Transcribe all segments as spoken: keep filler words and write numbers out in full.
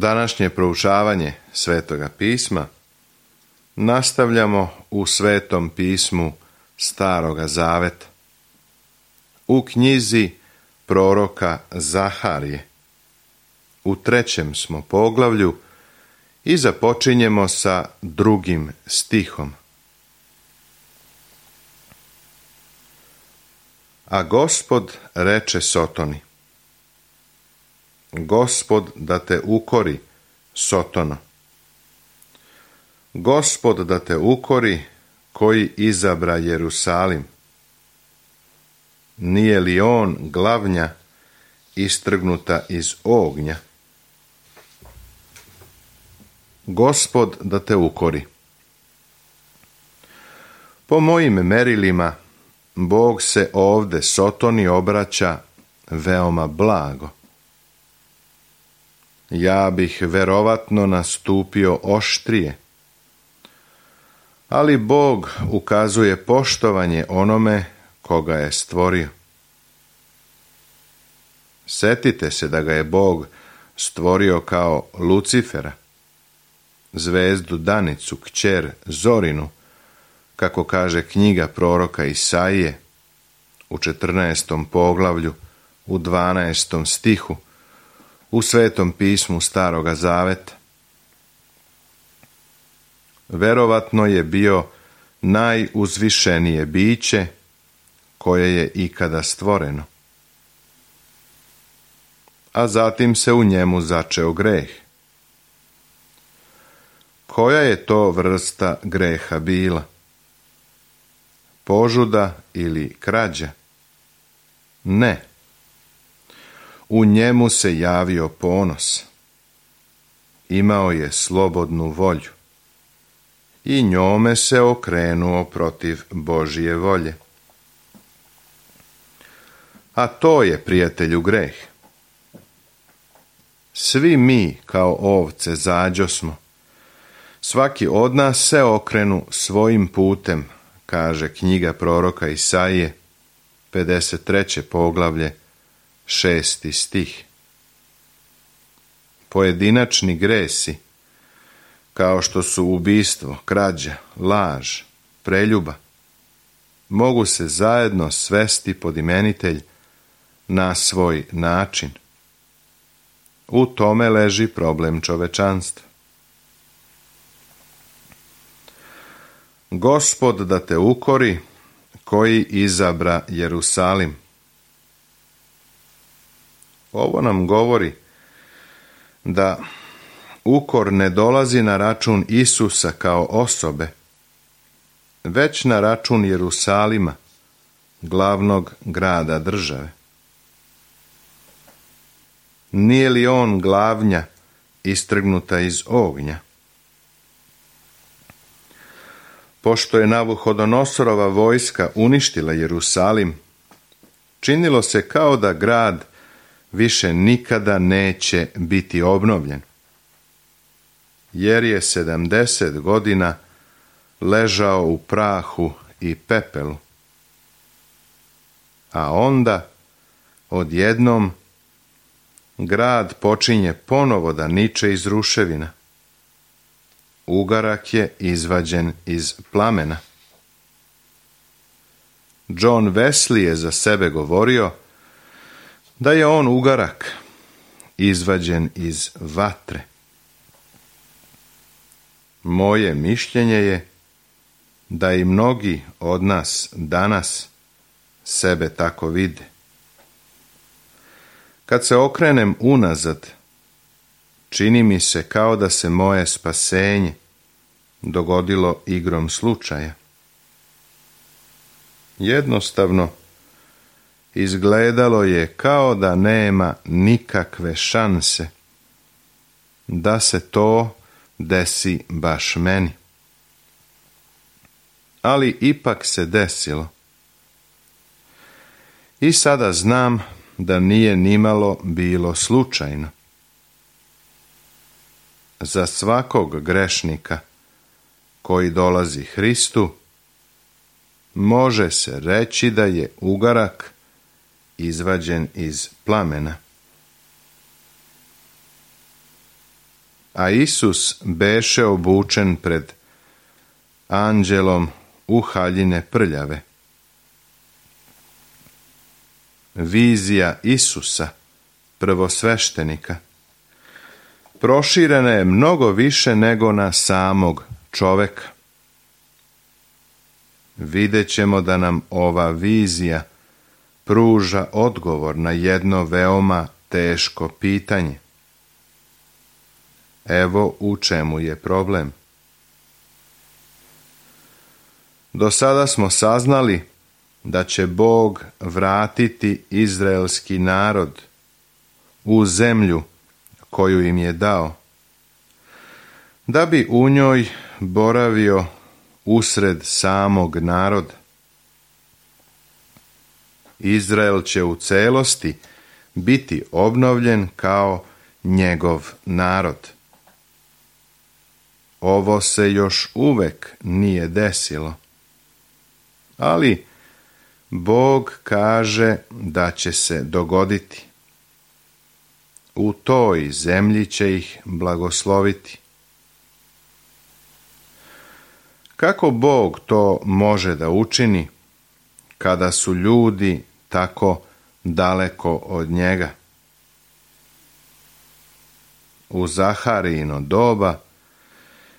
Današnje proučavanje Svetoga pisma nastavljamo u Svetom pismu Staroga zaveta, u knjizi proroka Zaharije. U trećem smo poglavlju i započinjemo sa drugim stihom. A Gospod reče Sotoni: Gospod da te ukori, Sotono. Gospod da te ukori, koji izabra Jerusalim. Nije li on glavnja istrgnuta iz ognja? Gospod da te ukori. Po mojim merilima, Bog se ovde Sotoni obraća veoma blago. Ja bih verovatno nastupio oštrije, ali Bog ukazuje poštovanje onome koga je stvorio. Setite se da ga je Bog stvorio kao Lucifera, zvezdu Danicu, kćer Zorinu, kako kaže knjiga proroka Isaije u četrnaestom poglavlju, u dvanaestom stihu, u Svetom pismu Staroga zaveta. Verovatno je bio najuzvišenije biće koje je ikada stvoreno. A zatim se u njemu začeo greh. Koja je to vrsta greha bila? Požuda ili krađa? Ne. U njemu se javio ponos. Imao je slobodnu volju i njome se okrenuo protiv Božje volje. A to je, prijatelju, greh. Svi mi kao ovce zađosmo. Svaki od nas se okrenu svojim putem, kaže knjiga proroka Isaije, pedeset treće poglavlje, šesti stih. Pojedinačni gresi, kao što su ubistvo, krađa, laž, preljuba, mogu se zajedno svesti pod imenitelj na svoj način. U tome leži problem čovečanstva. Gospod da te ukori, koji izabra Jerusalim. Ovo nam govori da ukor ne dolazi na račun Isusa kao osobe, već na račun Jerusalima, glavnog grada države. Nije li on glavnja istrgnuta iz ognja? Pošto je Navuhodonosorova vojska uništila Jerusalim, činilo se kao da grad više nikada neće biti obnovljen, jer je sedamdeset godina ležao u prahu i pepelu. A onda, odjednom, grad počinje ponovo da niče iz ruševina. Ugarak je izvađen iz plamena. John Wesley je za sebe govorio da je on ugarak izvađen iz vatre. Moje mišljenje je da i mnogi od nas danas sebe tako vide. Kad se okrenem unazad, čini mi se kao da se moje spasenje dogodilo igrom slučaja. Jednostavno, izgledalo je kao da nema nikakve šanse da se to desi baš meni. Ali ipak se desilo. I sada znam da nije nimalo bilo slučajno. Za svakog grešnika koji dolazi Hristu, može se reći da je ugarak izvađen iz plamena. a Isus beše obučen pred anđelom u haljine prljave. Vizija Isusa, prvosveštenika, proširena je mnogo više nego na samog čoveka. Vidjet ćemo da nam ova vizija pruža odgovor na jedno veoma teško pitanje. Evo u čemu je problem. Do sada smo saznali da će Bog vratiti izraelski narod u zemlju koju im je dao, da bi u njoj boravio usred samog naroda. Izrael će u celosti biti obnovljen kao njegov narod. Ovo se još uvek nije desilo, ali Bog kaže da će se dogoditi. U toj zemlji će ih blagosloviti. Kako Bog to može da učini kada su ljudi tako daleko od njega? U Zaharijino doba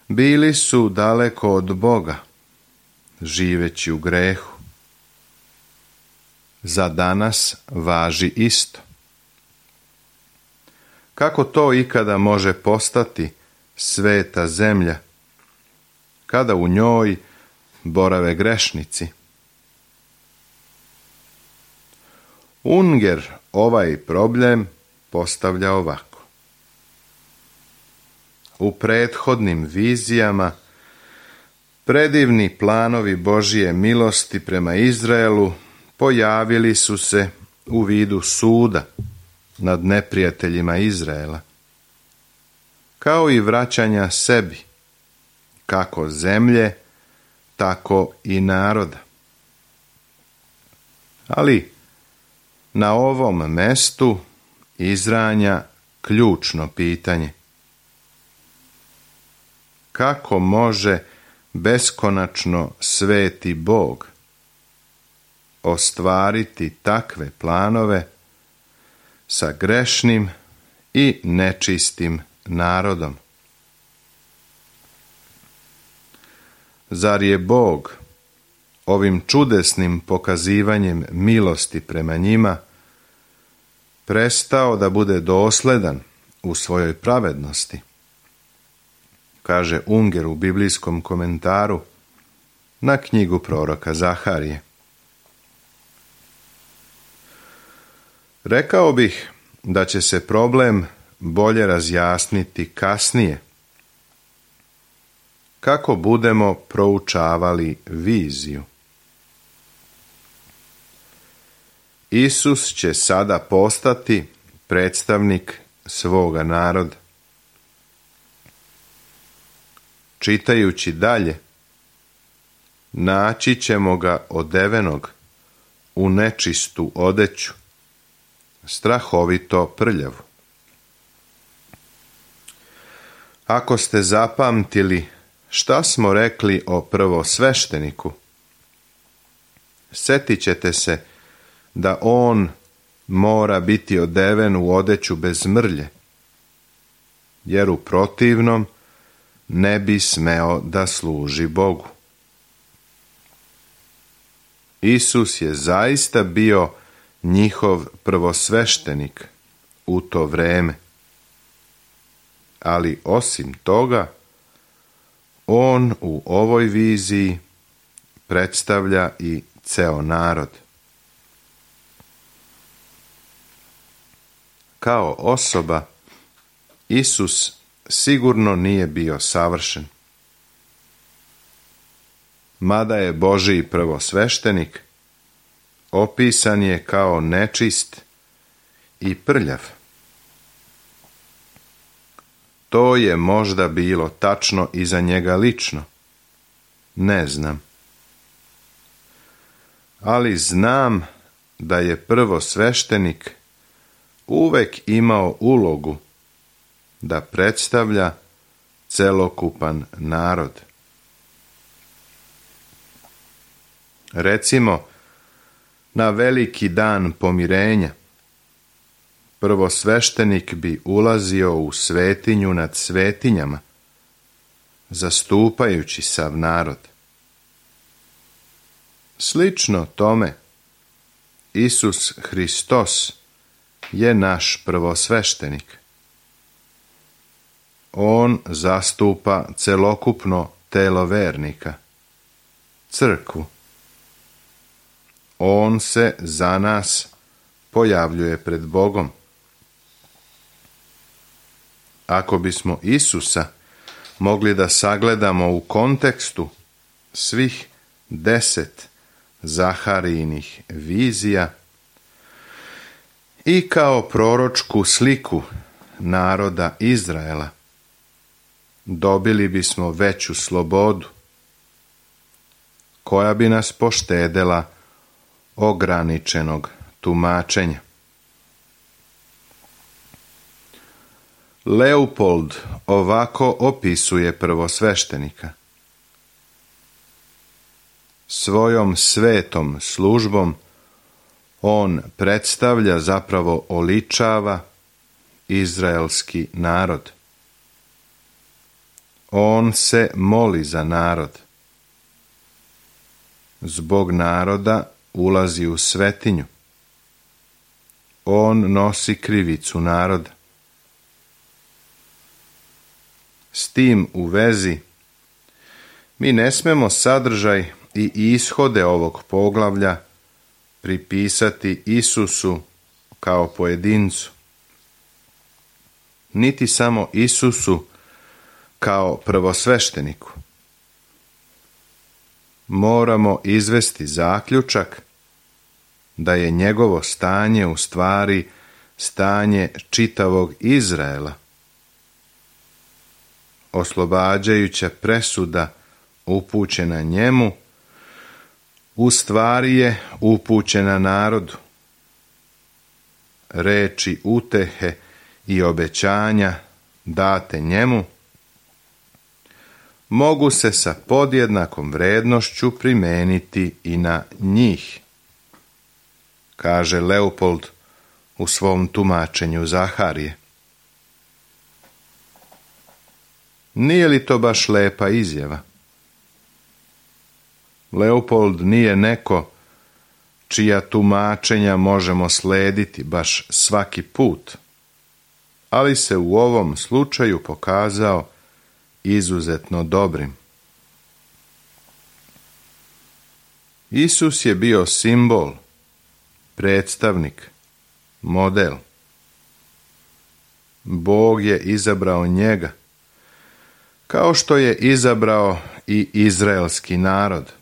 bili su daleko od Boga, živeći u grehu. Za danas važi isto. Kako to ikada može postati sveta zemlja, kada u njoj borave grešnici? Unger ovaj problem postavlja ovako. U prethodnim vizijama predivni planovi Božije milosti prema Izraelu pojavili su se u vidu suda nad neprijateljima Izraela, kao i vraćanja sebi, kako zemlje, tako i naroda. Ali na ovom mestu izranja ključno pitanje. Kako može beskonačno sveti Bog ostvariti takve planove sa grešnim i nečistim narodom? Zar je Bog ovim čudesnim pokazivanjem milosti prema njima prestao da bude dosledan u svojoj pravednosti? Kaže Unger u biblijskom komentaru na knjigu proroka Zaharije. Rekao bih da će se problem bolje razjasniti kasnije, kako budemo proučavali viziju. Isus će sada postati predstavnik svoga naroda. Čitajući dalje, naći ćemo ga odevenog u nečistu odeću, strahovito prljavu. Ako ste zapamtili šta smo rekli o prvosvešteniku, setit ćete se da on mora biti odeven u odeću bez mrlje, jer u protivnom ne bi smeo da služi Bogu. Isus je zaista bio njihov prvosveštenik u to vreme, ali osim toga, on u ovoj viziji predstavlja i ceo narod. Kao osoba, Isus sigurno nije bio savršen. Mada je Božji prvosveštenik, opisan je kao nečist i prljav. To je možda bilo tačno i za njega lično. Ne znam. Ali znam da je prvosveštenik uvek imao ulogu da predstavlja celokupan narod. Recimo, na veliki dan pomirenja, prvosveštenik bi ulazio u svetinju nad svetinjama, zastupajući sav narod. Slično tome, Isus Hristos je naš prvosveštenik. On zastupa celokupno telo vernika, crkvu. On se za nas pojavljuje pred Bogom. Ako bismo Isusa mogli da sagledamo u kontekstu svih deset Zaharijinih vizija i kao proročku sliku naroda Izraela, dobili bismo veću slobodu, koja bi nas poštedela ograničenog tumačenja. Leopold ovako opisuje prvosveštenika. Svojom svetom službom on predstavlja, zapravo oličava, izraelski narod. On se moli za narod. Zbog naroda ulazi u svetinju. On nosi krivicu naroda. S tim u vezi, mi ne smemo sadržaj i ishode ovog poglavlja pripisati Isusu kao pojedincu, niti samo Isusu kao prvosvešteniku. Moramo izvesti zaključak da je njegovo stanje u stvari stanje čitavog Izraela. Oslobađajuća presuda upućena njemu u stvari je upućena narodu. Reči utehe i obećanja date njemu mogu se sa podjednakom vrednošću primeniti i na njih, kaže Leopold u svom tumačenju Zaharije. Nije li to baš lepa izjava? Leopold nije neko čija tumačenja možemo slediti baš svaki put, ali se u ovom slučaju pokazao izuzetno dobrim. Isus je bio simbol, predstavnik, model. Bog je izabrao njega, kao što je izabrao i izraelski narod.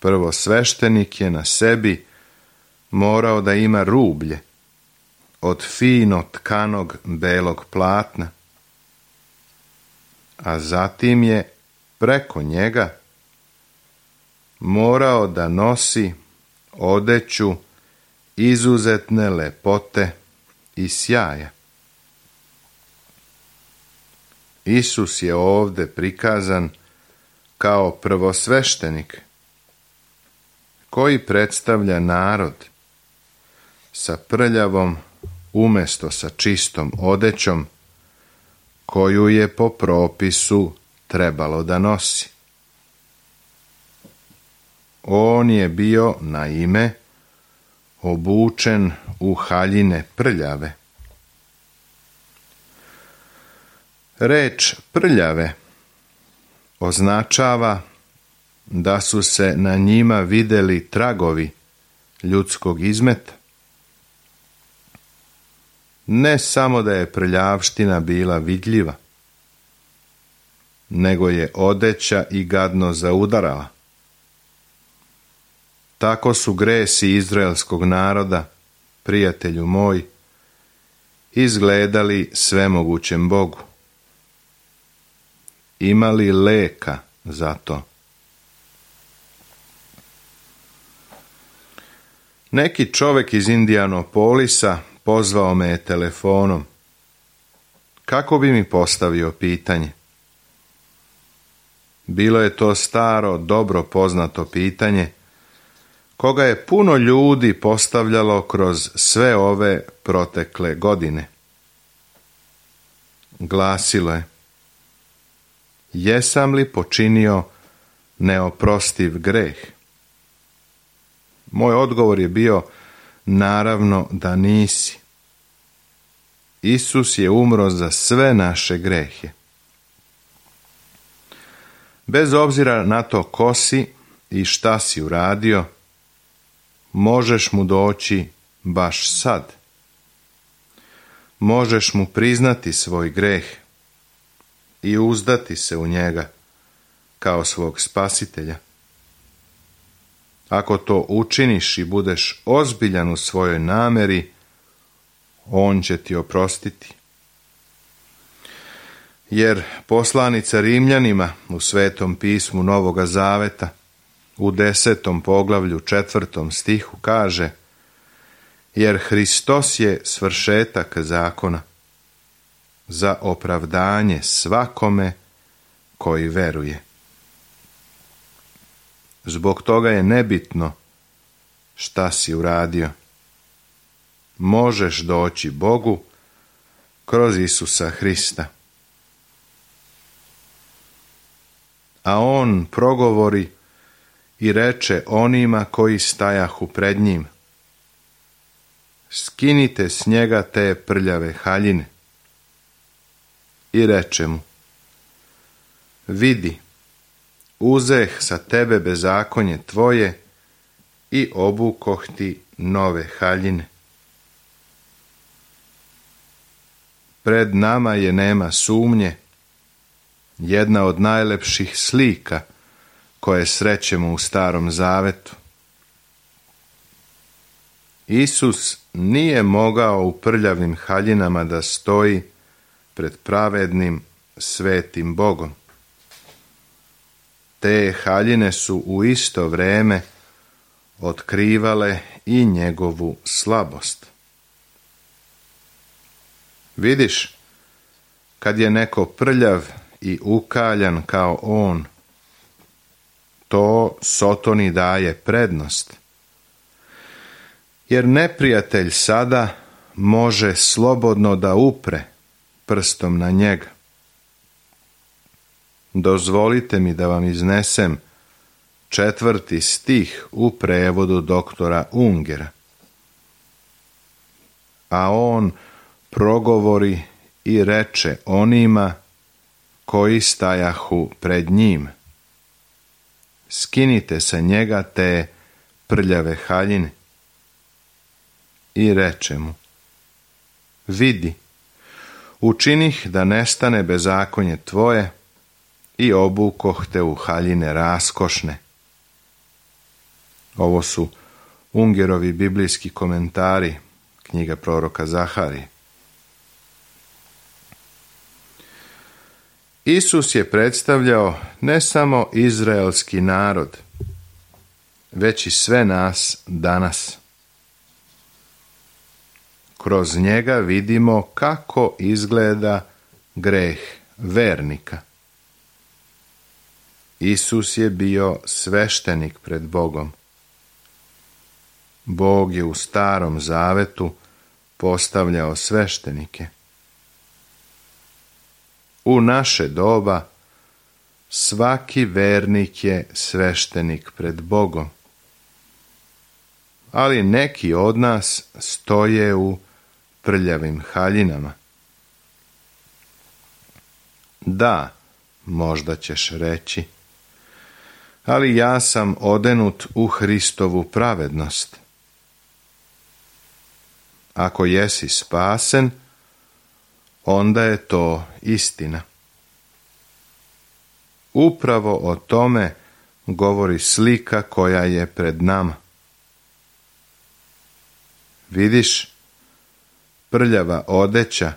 Prvosveštenik je na sebi morao da ima rublje od fino tkanog belog platna, a zatim je preko njega morao da nosi odeću izuzetne lepote i sjaja. Isus je ovde prikazan kao prvosveštenik koji predstavlja narod sa prljavom umjesto sa čistom odećom koju je po propisu trebalo da nosi. On je bio naime obučen u haljine prljave. Reč prljave označava da su se na njima videli tragovi ljudskog izmeta. Ne samo da je prljavština bila vidljiva, nego je odeća i gadno zaudarala. Tako su gresi izraelskog naroda, prijatelju moj, izgledali svemogućem Bogu. Imali leka za to. Neki čovek iz Indianapolisa pozvao me je telefonom. kako bi mi postavio pitanje? Bilo je to staro, dobro poznato pitanje, koga je puno ljudi postavljalo kroz sve ove protekle godine. Glasilo je: jesam li počinio neoprostiv greh? Moj odgovor je bio: naravno da nisi. Isus je umro za sve naše grehe. Bez obzira na to ko si i šta si uradio, možeš mu doći baš sad. Možeš mu priznati svoj greh i uzdati se u njega kao svog spasitelja. Ako to učiniš i budeš ozbiljan u svojoj nameri, on će ti oprostiti. Jer poslanica Rimljanima u Svetom pismu Novoga Zaveta u desetom poglavlju četvrtom stihu kaže: jer Hristos je svršetak zakona za opravdanje svakome koji veruje. Zbog toga je nebitno šta si uradio. Možeš doći Bogu kroz Isusa Hrista. A on progovori i reče onima koji stajahu pred njim: skinite s njega te prljave haljine. I reče mu: vidi, uzeh sa tebe bezakonje tvoje i obukoh ti nove haljine. Pred nama je, nema sumnje, jedna od najlepših slika koje srećemo u Starom Zavetu. Isus nije mogao u prljavim haljinama da stoji pred pravednim, svetim Bogom. Te haljine su u isto vrijeme otkrivale i njegovu slabost. Vidiš, kad je neko prljav i ukaljan kao on, to Sotoni daje prednost. Jer neprijatelj sada može slobodno da upre prstom na njega. Dozvolite mi da vam iznesem četvrti stih u prevodu doktora Ungera. A on progovori i reče onima koji stajahu pred njim: skinite sa njega te prljave haljine. I reče mu: vidi, učinih da nestane bezakonje tvoje i obukoh te u haljine raskošne. Ovo su Ungerovi biblijski komentari, knjiga proroka Zaharije. Isus je predstavljao ne samo izraelski narod, već i sve nas danas. Kroz njega vidimo kako izgleda greh vernika. Isus je bio sveštenik pred Bogom. Bog je u Starom Zavetu postavljao sveštenike. U naše doba svaki vernik je sveštenik pred Bogom. Ali neki od nas stoje u prljavim haljinama. Da, možda ćeš reći, ali ja sam odenut u Hristovu pravednost. Ako jesi spasen, onda je to istina. Upravo o tome govori slika koja je pred nama. Vidiš, prljava odeća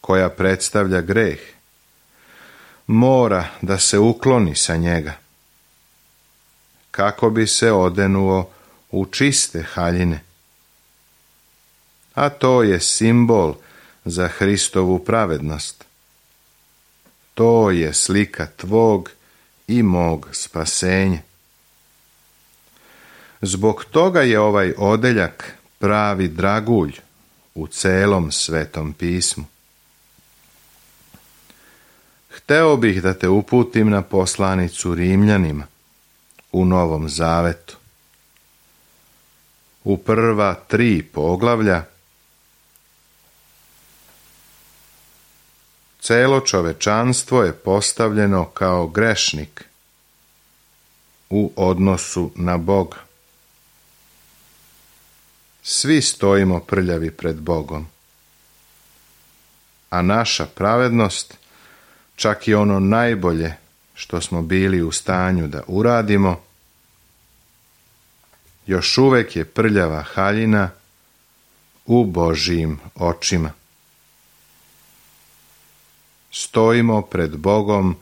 koja predstavlja greh mora da se ukloni sa njega, kako bi se odenuo u čiste haljine. A to je simbol za Hristovu pravednost. To je slika tvog i mog spasenja. Zbog toga je ovaj odeljak pravi dragulj u celom Svetom pismu. Hteo bih da te uputim na poslanicu Rimljanima u Novom Zavetu. U prva tri poglavlja celo čovečanstvo je postavljeno kao grešnik u odnosu na Boga. Svi stojimo prljavi pred Bogom, a naša pravednost, čak i ono najbolje što smo bili u stanju da uradimo, još uvek je prljava haljina u Božijim očima. Stojimo pred Bogom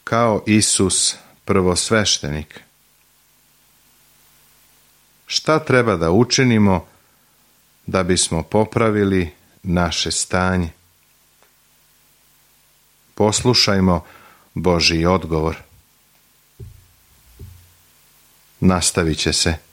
kao Isus prvosveštenik. Šta treba da učinimo da bismo popravili naše stanje? Poslušajmo Božji odgovor. Nastavit će se.